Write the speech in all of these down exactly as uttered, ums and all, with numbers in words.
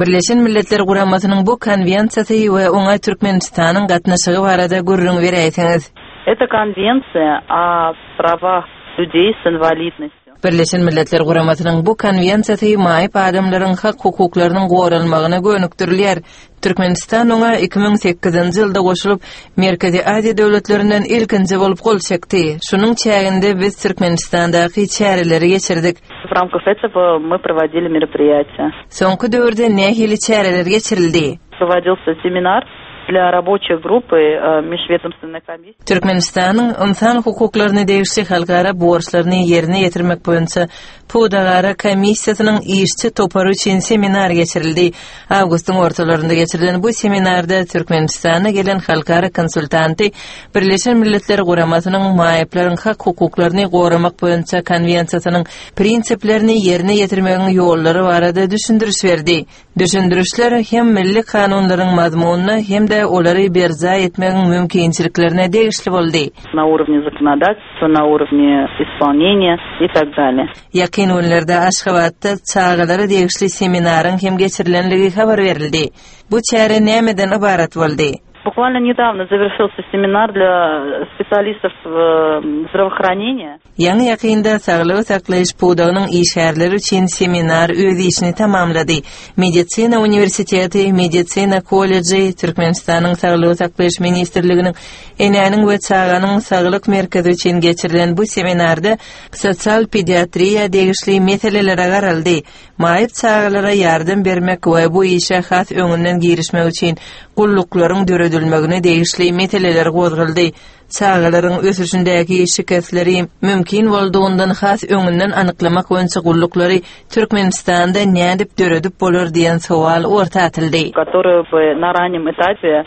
Birleşen Milletler Guramasynyň bu konwensiýasy we oňa Türkmenistanyň gatnaşygy barada gürrüň beräýseňiz. Это конвенция о правах людей с инвалидностью. Birleşen Milletler Guramasynyň bu konwensiýasy maýyp adamlaryň hak hukuklarynyň goralmagyna gönükdirilýär. Türkmenistan oňa iki müň sekizinji ýylda goşulyp, Merkezi Aziýa döwletlerinden ilkinji bolup gol çekdi. Şunuň çäginde biz Türkmenistandaky çäreleri geçirdik. В рамках этого мы проводили мероприятия. Soňky döwürde nähili çäreler geçirildi? Проводился семинар для рабочей группы э, межведомственной комиссии. Türkmenistanyň ynsan hukuklaryny degişli halkara borçlaryny ýerine ýetirmek boýunça Pudagara komissiýasynyň işçi topary üçin seminar geçirildi. Awgustyň ortalarynda geçirilen bu seminarda Türkmenistana gelen halkara konsultanty Birleşen Milletler Guramasynyň maýyplaryň hak hukuklaryny goramak boýunça konwensiýasynyň prinsiplerini ýerine ýetirmegiň ýollary barada düşündiriş berdi. Düşündirişler hem milli kanunlaryň mazmunyna hem-de olary berjaý etmegiň mümkinçiliklerine degişli boldy. На уровне законодательства, на уровне исполнения и так далее. Ýakyn günlerde Aşgabatda çagalara degişli seminaryň hem geçirilenligi habar berildi. Bu çäre nämeden ybarat boldy? Буквально недавно завершился семинар для специалистов, э, здравоохранения. Ýaňy ýakynda saglygy saklaýyş pudagynyň işgärleri üçin seminar öz işini tamamlady. Medisina uniwersiteti, Medisina kolleji, Türkmenistanyň Saglygy saklaýyş ministrliginiň Enäniň we çaganyň saglyk merkezi üçin geçirilen bu seminarda sosial pediatriýa degişli meselelere garaldy. Maýyp çagalara ýardam bermek we bu işe has öňünden girişmek üçin gulluklaryň döredilmegine degişli meseleler gozgaldy. Çagalaryň ösüşindäki şikesleri mümkin boldugundan has öňünden anyklamak boýunça gulluklary Türkmenistanda nädip döredip bolar diýen sowal orta atyldy. Которые бы на раннем этапе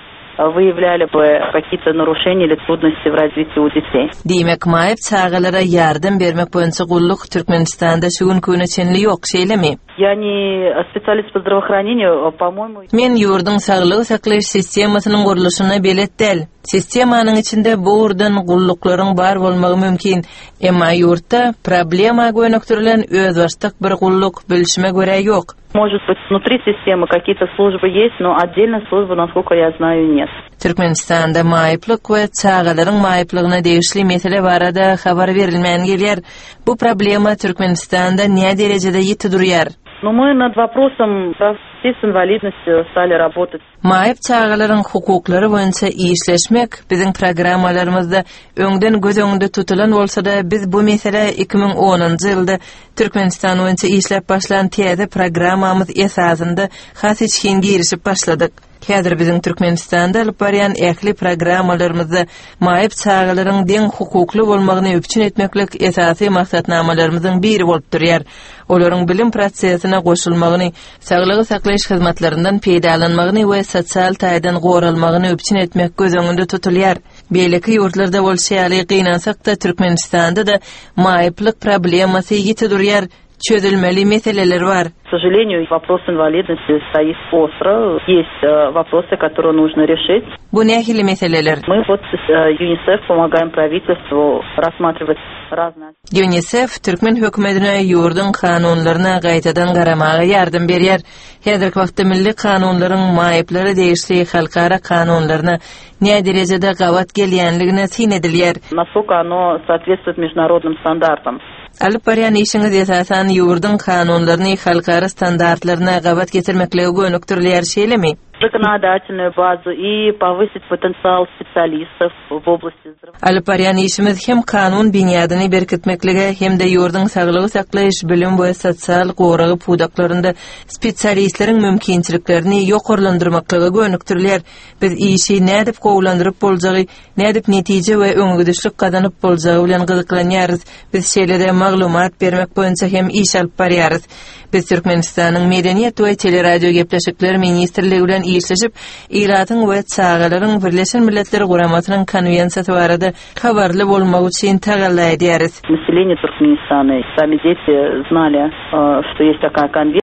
выявляли бы какие-то нарушения или трудности в развитии у детей. Diýmek, maýyp çagalara ýardam bermek boýunça gulluk Türkmenistanda şu günküne çenli ýok, şeýlemi? Я не специалист по здравоохранению, по-моему. Men ýurduň saglygy saklaýyş sistemasynyň gurluşyna belet däl. Sistemanyň içinde bu ugurdan gulluklaryň bar bolmagy mümkin. Emma ýurtda problema gönükdirilen özbaşdak bir gulluk bilşime görä ýok. Может быть, внутри системы какие-то службы есть, но отдельной службы, насколько я знаю, нет. Türkmenistanda maýyplyk we çagalaryň maýyplygyna degişli mesele barada habar berilmän gelýär. Bu problema Türkmenistanda näme derejede ýiti durýar? Но мы над вопросом прав детей с инвалидностью стали работать. Maýyp çagalaryň hukuklary boýunça işleşmek biziň programmalarymyzda öňden göz öňünde tutulan bolsa-da, biz bu mesele iki müň onunjy ýylda Türkmenistan boýunça işläp başlan täze programmamyz esasynda has içgin girişip başladyk. Häzir biziň Türkmenistanda alyp barýan ähli programmalarymyzda maýyp çagalaryň deň hukukly bolmagyny üpjün etmeklik esasy maksatnamalarymyzyň biri bolup durýar. Olaryň bilim prosesine goşulmagyny, saglygy saklaýyş hyzmatlaryndan peýdalanmagyny we sosial taýdan goralmagyny üpjün etmek göz öňünde tutulýar. Beýleki ýurtlarda bolşy ýaly gynansak-da Türkmenistanda da maýyplyk problemasy ýiti durýar, çözülmeli meseleler bar. К сожалению, вопрос инвалидности стоит остро. Есть, э, вопросы, которые нужно решить. Bu nähili meseleler? Мы вот с, э, ЮНИСЕФ помогаем правительству рассматривать разные. ЮНИСЕФ Türkmen hökümetine ýurduň kanunlaryna gaýtadan garamaga ýardam berýär. Häzirki wagtda milli kanunlaryň maýyplara degişli halkara kanunlaryna näme derejede gabat gelýänligine syn edilýär. Насколько оно соответствует международным стандартам. Alyp barýan işiňiz esasan ýurduň kanunlaryny halkara standartlaryna gabat getirmeklige gönükdirilýär, şeýlemi? Законодательную базу и повысить потенциал специалистов в области здравоохранения. Alyp barýan işimiz hem kanun binýadyny berkitmeklige hem-de ýurduň saglygy saklaýyş, bilim we sosial goragy pudaklarynda spesialistleriň mümkinçiliklerini ýokarlandyrmaklyga gönükdirilýär. Biz işi nädip gowulandyryp boljagy, nädip netije we öňegidişlik gazanyp boljagy bilen gyzyklanýarys. Biz şeýle-de maglumat bermek boýunça hem iş alyp barýarys. Biz Türkmenistanyň Medeniýet we Teleradio gepleşikler ministrligi bilen işleşip, ilatyň we çagalaryň Birleşen Milletler Guramasynyň konwensiýasy barada habarly bolmak üçin tagalla edýäris. Население Туркменистана, сами дети знали, э, что есть такая конвенция.